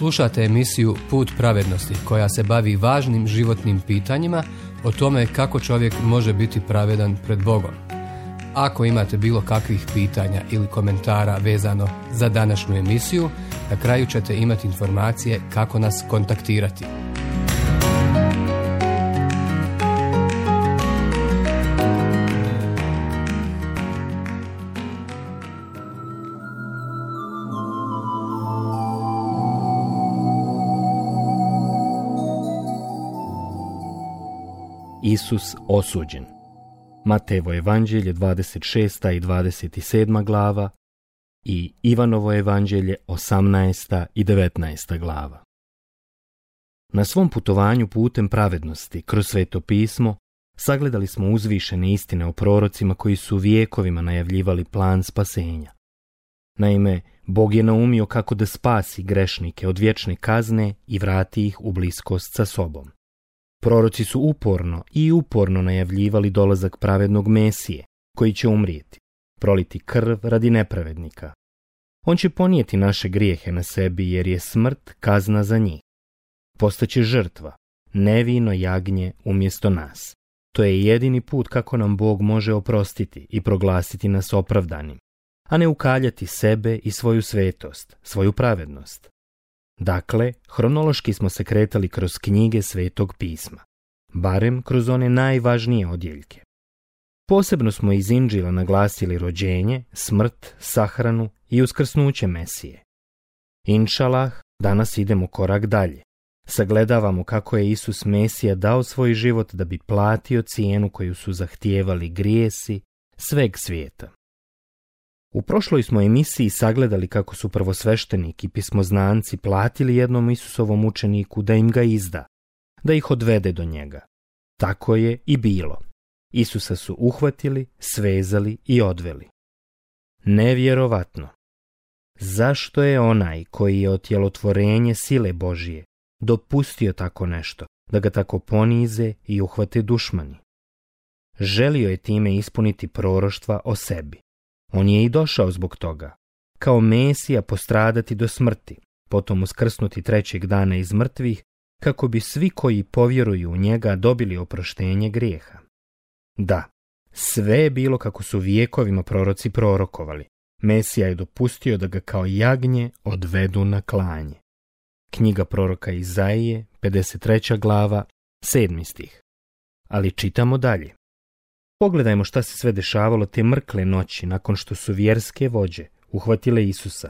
Slušate emisiju Put pravednosti koja se bavi važnim životnim pitanjima o tome kako čovjek može biti pravedan pred Bogom. Ako imate bilo kakvih pitanja ili komentara vezano za današnju emisiju, na kraju ćete imati informacije kako nas kontaktirati. Isus osuđen. Matejevo evanđelje 26. i 27. glava i Ivanovo evanđelje 18. i 19. glava. Na svom putovanju putem pravednosti kroz Sveto pismo sagledali smo uzvišene istine o prorocima koji su vijekovima najavljivali plan spasenja. Naime, Bog je naumio kako da spasi grešnike od vječne kazne i vrati ih u bliskost sa sobom. Proroci su uporno najavljivali dolazak pravednog Mesije, koji će umrijeti, proliti krv radi nepravednika. On će ponijeti naše grijehe na sebi jer je smrt kazna za njih. Postaće žrtva, nevino jagnje umjesto nas. To je jedini put kako nam Bog može oprostiti i proglasiti nas opravdanim, a ne ukaljati sebe i svoju svetost, svoju pravednost. Dakle, hronološki smo se kretali kroz knjige Svetog pisma, barem kroz one najvažnije odjeljke. Posebno smo iz Inđila naglasili rođenje, smrt, sahranu i uskrsnuće Mesije. Inšalah, danas idemo korak dalje. Sagledavamo kako je Isus Mesija dao svoj život da bi platio cijenu koju su zahtijevali grijesi sveg svijeta. U prošloj smo emisiji sagledali kako su prvosveštenik i pismoznanci platili jednom Isusovom učeniku da im ga izda, da ih odvede do njega. Tako je i bilo. Isusa su uhvatili, svezali i odveli. Nevjerovatno. Zašto je onaj koji je otjelotvorenje sile Božije dopustio tako nešto, da ga tako ponize i uhvate dušmani? Želio je time ispuniti proroštva o sebi. On je i došao zbog toga, kao Mesija postradati do smrti, potom uskrsnuti trećeg dana iz mrtvih, kako bi svi koji povjeruju u njega dobili oproštenje grijeha. Da, sve je bilo kako su vijekovima proroci prorokovali. Mesija je dopustio da ga kao jagnje odvedu na klanje. Knjiga proroka Izaije, 53. glava, 7. stih. Ali čitamo dalje. Pogledajmo šta se sve dešavalo te mrkle noći nakon što su vjerske vođe uhvatile Isusa.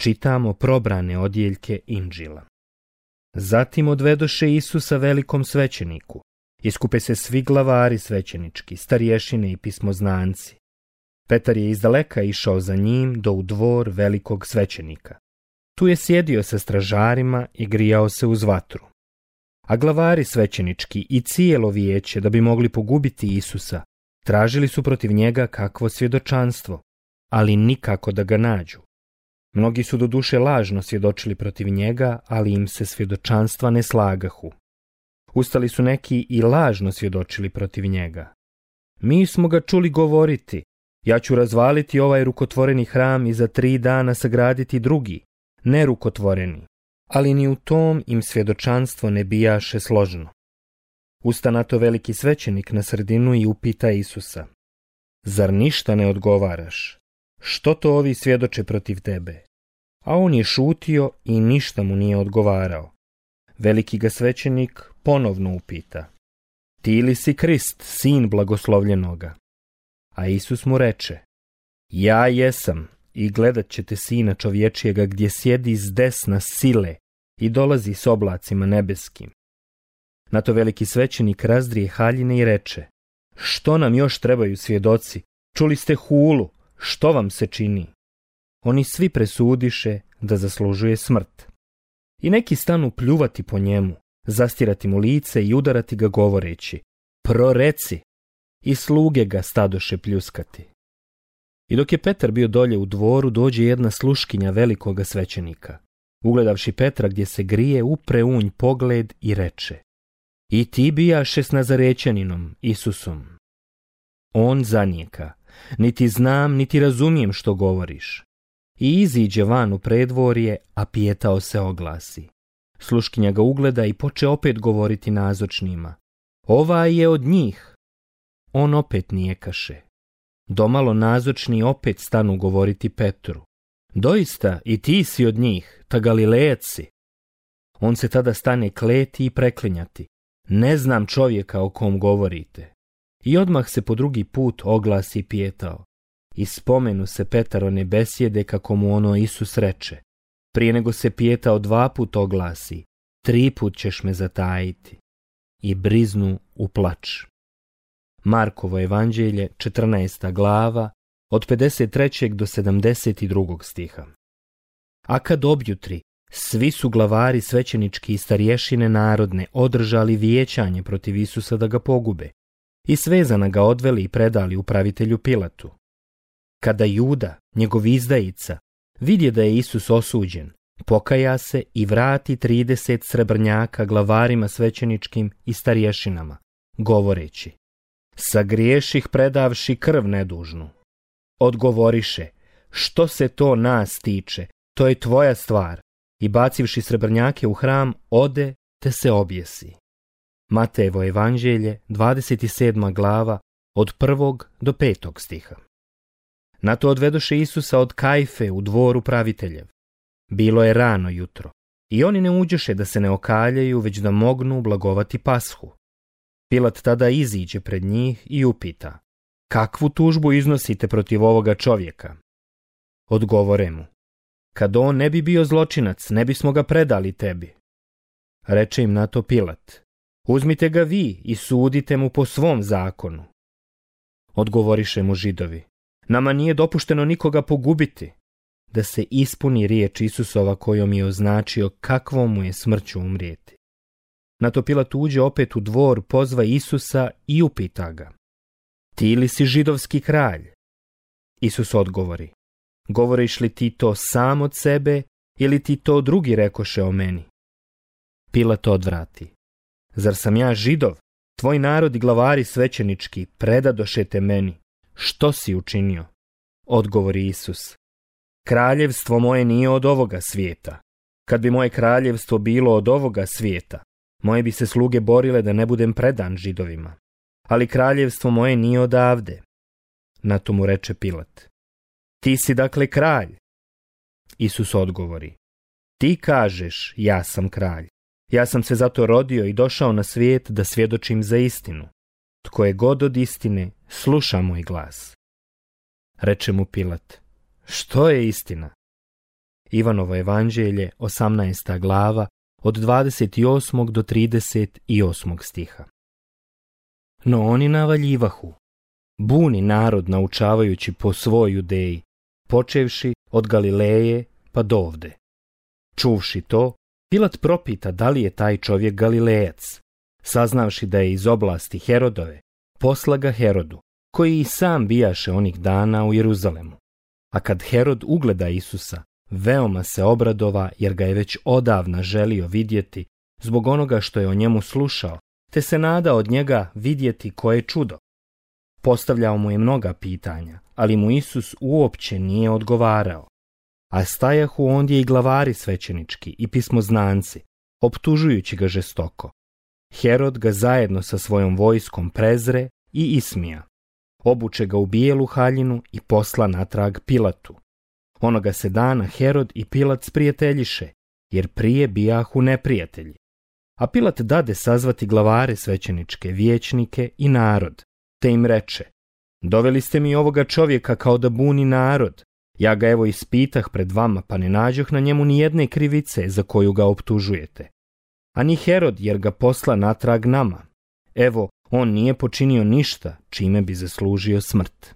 Čitamo probrane odjeljke Inđila. Zatim odvedoše Isusa velikom svećeniku. Iskupe se svi glavari svećenički, starješine i pismoznanci. Petar je izdaleka išao za njim do u dvor velikog svećenika. Tu je sjedio sa stražarima i grijao se uz vatru. A glavari svećenički i cijelo vijeće, da bi mogli pogubiti Isusa, tražili su protiv njega kakvo svjedočanstvo, ali nikako da ga nađu. Mnogi su doduše lažno svjedočili protiv njega, ali im se svjedočanstva ne slagahu. Ustali su neki i lažno svjedočili protiv njega. Mi smo ga čuli govoriti, ja ću razvaliti ovaj rukotvoreni hram i za 3 dana sagraditi drugi, nerukotvoreni. Ali ni u tom im svjedočanstvo ne bijaše složno. Usta na to veliki svećenik na sredinu i upita Isusa: Zar ništa ne odgovaraš? Što to ovi svjedoče protiv tebe? A on je šutio i ništa mu nije odgovarao. Veliki ga svećenik ponovno upita: Ti li si Krist, sin blagoslovljenoga? A Isus mu reče: Ja jesam, i gledat ćete Sina čovječijega gdje sjedi s desna sile i dolazi s oblacima nebeskim. Na to veliki svećenik razdrije haljine i reče: Što nam još trebaju svjedoci? Čuli ste hulu, što vam se čini? Oni svi presudiše da zaslužuje smrt. I neki stanu pljuvati po njemu, zastirati mu lice i udarati ga govoreći: Proreci! I sluge ga stadoše pljuskati. I dok je Petar bio dolje u dvoru, dođe jedna sluškinja velikoga svećenika. Ugledavši Petra gdje se grije, upre u nj pogled i reče: I ti bijaše s Nazarećaninom, Isusom. On zanijeka: Niti znam, niti razumijem što govoriš. i iziđe van u predvorje, a pijetao se oglasi. Sluškinja ga ugleda i poče opet govoriti nazočnima. Ovaj je od njih. On opet nijekaše. Domalo nazočni opet stanu govoriti Petru. Doista, i ti si od njih, ta Galilejac si. On se tada stane kleti i preklinjati. Ne znam čovjeka o kom govorite. I odmah se po drugi put oglasi pijetao. I spomenu se Petarone besjede kako mu ono Isus reče. Prije nego se pijetao 2 put oglasi, 3 put ćeš me zatajiti. I briznu u plač. Markovo evanđelje, 14. glava, od 53. do 72. stiha. A kad objutri, svi su glavari svećenički i starješine narodne održali vijećanje protiv Isusa da ga pogube i svezana ga odveli i predali upravitelju Pilatu. Kada Juda, njegov izdajica, vidje da je Isus osuđen, pokaja se i vrati 30 srebrnjaka glavarima svećeničkim i starješinama, govoreći: sagriješih predavši krv nedužnu. Odgovoriše: što se to nas tiče, to je tvoja stvar. I bacivši srebrnjake u hram, ode te se objesi. Matejevo evanđelje, 27. glava, od 1. do 5. stiha. Na to odvedoše Isusa od Kajfe u dvor upraviteljev. Bilo je rano jutro i oni ne uđoše da se ne okaljaju, već da mognu blagovati Pashu. Pilat tada iziđe pred njih i upita: kakvu tužbu iznosite protiv ovoga čovjeka? Odgovore mu: kad on ne bi bio zločinac, ne bismo ga predali tebi. Reče im na to Pilat: uzmite ga vi i sudite mu po svom zakonu. Odgovoriše mu Židovi: nama nije dopušteno nikoga pogubiti, da se ispuni riječ Isusova kojom je označio kakvom mu je smrću umrijeti. Na to Pilat uđe opet u dvor, pozva Isusa i upita ga: ti li si židovski kralj? Isus odgovori: govoriš li ti to sam od sebe ili ti to drugi rekoše o meni? Pilat odvrati: zar sam ja Židov? Tvoj narod i glavari svećenički predadoše te meni. Što si učinio? Odgovori Isus: kraljevstvo moje nije od ovoga svijeta. Kad bi moje kraljevstvo bilo od ovoga svijeta, moje bi se sluge borile da ne budem predan Židovima. Ali kraljevstvo moje nije odavde. Na to mu reče Pilat: ti si dakle kralj? Isus odgovori: ti kažeš ja sam kralj. Ja sam se zato rodio i došao na svijet da svjedočim za istinu. Tko je god od istine, sluša moj glas. Reče mu Pilat: što je istina? Ivanovo evanđelje, 18. glava, od 28. do 38. stiha. No oni navaljivahu. Buni narod naučavajući po svoj Judeji, počevši od Galileje pa dovde. Čuvši to, Pilat propita da li je taj čovjek Galilejac. Saznavši da je iz oblasti Herodove, posla ga Herodu, koji i sam bijaše onih dana u Jeruzalemu. A kad Herod ugleda Isusa, veoma se obradova, jer ga je već odavna želio vidjeti zbog onoga što je o njemu slušao, te se nada od njega vidjeti koje čudo. Postavljao mu je mnoga pitanja, ali mu Isus uopće nije odgovarao. A stajahu ondje i glavari svećenički i pismoznanci, optužujući ga žestoko. Herod ga zajedno sa svojom vojskom prezre i ismija. Obuče ga u bijelu haljinu i posla natrag Pilatu. Onoga se dana Herod i Pilat sprijateljiše, jer prije bijahu neprijatelji. A Pilat dade sazvati glavare svećeničke, vijećnike i narod, te im reče: doveli ste mi ovoga čovjeka kao da buni narod. Ja ga evo ispitah pred vama, pa ne nađoh na njemu ni jedne krivice za koju ga optužujete. A ni Herod, jer ga posla natrag nama. Evo, on nije počinio ništa čime bi zaslužio smrt.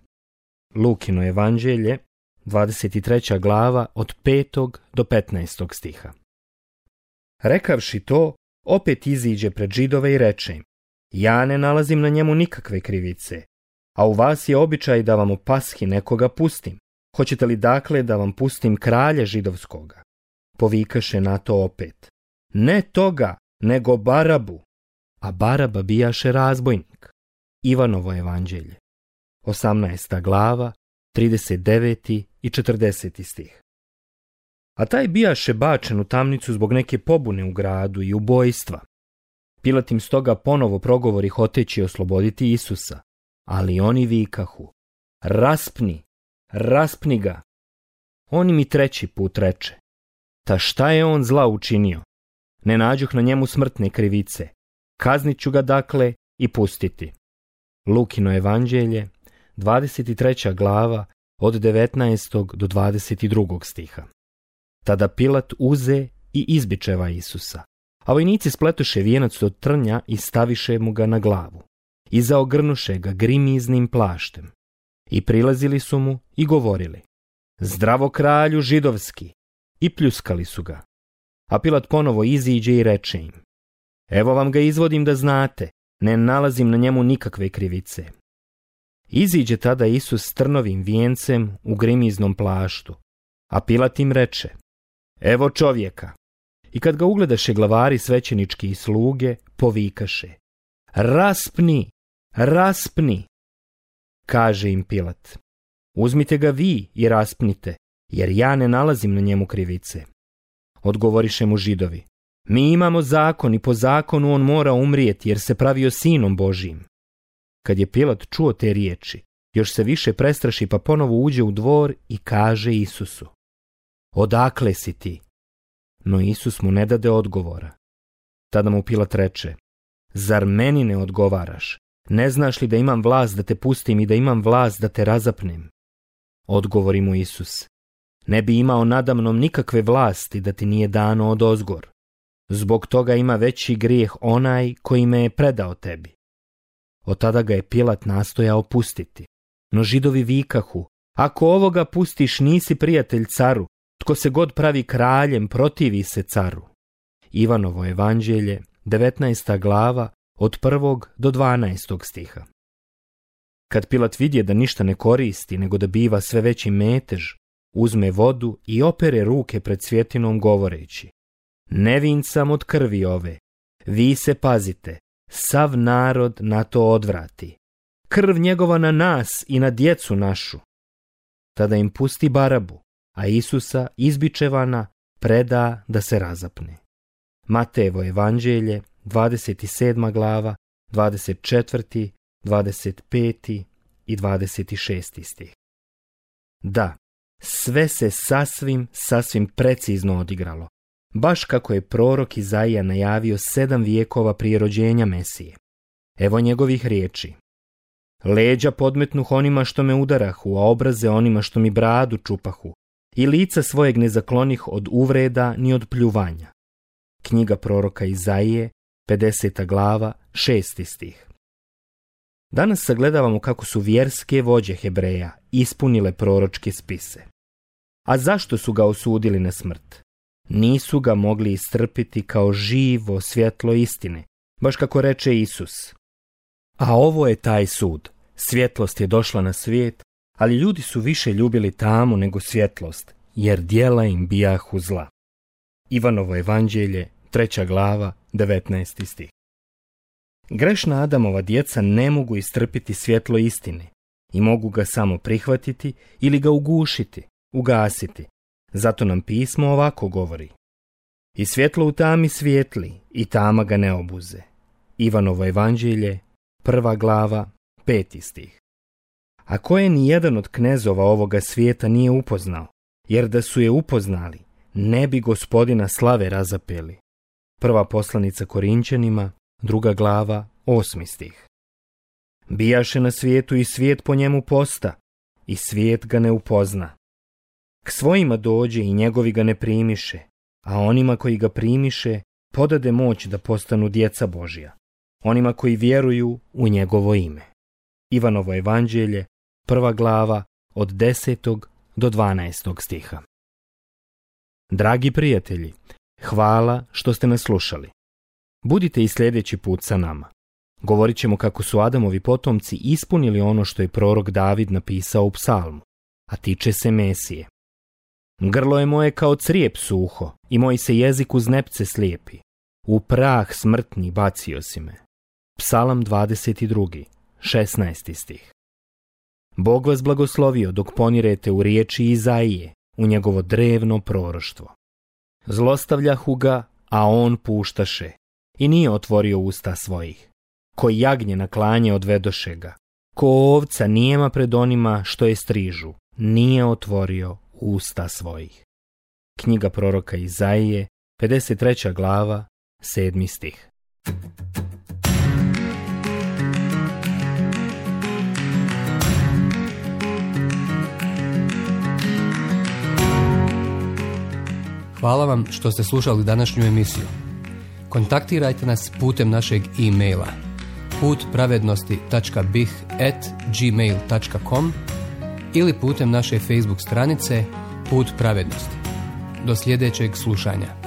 Lukino evanđelje, 23. glava, od 5. do 15. stiha. Rekavši to, opet iziđe pred Židove i reče im: ja ne nalazim na njemu nikakve krivice, a u vas je običaj da vam u Pashi nekoga pustim. Hoćete li dakle da vam pustim kralja židovskoga? Povikaše na to opet: ne toga, nego Barabu. A Baraba bijaše razbojnik. Ivanovo evanđelje, 18. glava, 39. i 40. stih. A taj bijaše bačen u tamnicu zbog neke pobune u gradu i ubojstva. Pilat im stoga ponovo progovori hoteći osloboditi Isusa, ali oni vikahu: raspni, raspni ga. On im i treći put reče: ta šta je on zla učinio? Ne nađoh na njemu smrtne krivice, kaznit ću ga dakle i pustiti. Lukino evanđelje, 23. glava, od 19. do 22. stiha. Tada Pilat uze i izbičeva Isusa, a vojnici spletoše vijenac od trnja i staviše mu ga na glavu i zaogrnuše ga grimiznim plaštem i prilazili su mu i govorili: zdravo kralju židovski, i pljuskali su ga. A Pilat ponovo iziđe i reče im: evo vam ga izvodim da znate, ne nalazim na njemu nikakve krivice. Iziđe tada Isus s trnovim vijencem u grimiznom plaštu, a Pilat im reče: evo čovjeka. I kad ga ugledaše glavari svećenički i sluge, povikaše: raspni, raspni. Kaže im Pilat: uzmite ga vi i raspnite, jer ja ne nalazim na njemu krivice. Odgovoriše mu Židovi: mi imamo zakon i po zakonu on mora umrijeti jer se pravio sinom Božijim. Kad je Pilat čuo te riječi, još se više prestraši pa ponovo uđe u dvor i kaže Isusu: odakle si ti? No Isus mu ne dade odgovora. Tada mu Pilat reče: zar meni ne odgovaraš? Ne znaš li da imam vlast da te pustim i da imam vlast da te razapnem? Odgovori mu Isus: ne bi imao nadamnom nikakve vlasti da ti nije dano odozgor. Zbog toga ima veći grijeh onaj koji me je predao tebi. Od tada ga je Pilat nastojao pustiti. No Židovi vikahu: ako ovoga pustiš, nisi prijatelj caru, tko se god pravi kraljem protivi se caru. Ivanovo evanđelje, 19. glava, od 1. do 12. stiha. Kad Pilat vidje da ništa ne koristi, nego da biva sve veći metež, uzme vodu i opere ruke pred svjetinom govoreći: nevin sam od krvi ove, vi se pazite, sav narod na to odvrati. Krv njegova na nas i na djecu našu. Tada im pusti Barabu, a Isusa izbičevana preda da se razapne. Matejevo evanđelje, 27. glava, 24., 25. i 26. stih. Da, sve se sasvim precizno odigralo, baš kako je prorok Izaija najavio 7 vijekova prije rođenja Mesije. Evo njegovih riječi: leđa podmetnuh onima što me udarahu, a obraze onima što mi bradu čupahu, i lica svojeg ne zaklonih od uvreda ni od pljuvanja. Knjiga proroka Izaije, 50. glava, 6. stih. Danas sagledavamo kako su vjerske vođe Hebreja ispunile proročke spise. A zašto su ga osudili na smrt? Nisu ga mogli istrpiti kao živo svjetlo istine, baš kako reče Isus. A ovo je taj sud. Svjetlost je došla na svijet, ali ljudi su više ljubili tamu nego svjetlost, jer djela im bijahu zla. Ivanovo evanđelje, 3. glava, 19. stih. Grešna Adamova djeca ne mogu istrpiti svjetlo istine i mogu ga samo prihvatiti ili ga ugušiti, ugasiti. Zato nam pismo ovako govori: i svjetlo u tami svijetli i tama ga ne obuze. Ivanovo evanđelje, 1. glava, 5. stih. A koje ni jedan od knezova ovoga svijeta nije upoznao, jer da su je upoznali, ne bi Gospodina slave razapeli. Prva poslanica Korinćanima, 2. glava, 8. stih. Bijaše na svijetu i svijet po njemu posta, i svijet ga ne upozna. K svojima dođe i njegovi ga ne primiše, a onima koji ga primiše podade moć da postanu djeca Božja, onima koji vjeruju u njegovo ime. Ivanovo evanđelje, 1. glava, od 10. do 12. stiha. Dragi prijatelji, hvala što ste nas slušali. Budite i sljedeći put sa nama. Govorit ćemo kako su Adamovi potomci ispunili ono što je prorok David napisao u psalmu, a tiče se Mesije. Grlo je moje kao crijep suho i moj se jezik uz nepce slijepi. U prah smrtni bacio si me. Psalam 22. 16. stih. Bog vas blagoslovio dok ponirete u riječi Izaije, u njegovo drevno proroštvo. Zlostavljahu ga, a on puštaše, i nije otvorio usta svojih. Ko jagnje na klanje odvedoše ga, ko ovca nijema pred onima što je strižu, nije otvorio usta svojih. Knjiga proroka Izaije, 53. glava, 7. stih. Hvala vam što ste slušali današnju emisiju. Kontaktirajte nas putem našeg e-maila putpravednosti.bih@gmail.com ili putem naše Facebook stranice Put pravednosti. Do sljedećeg slušanja.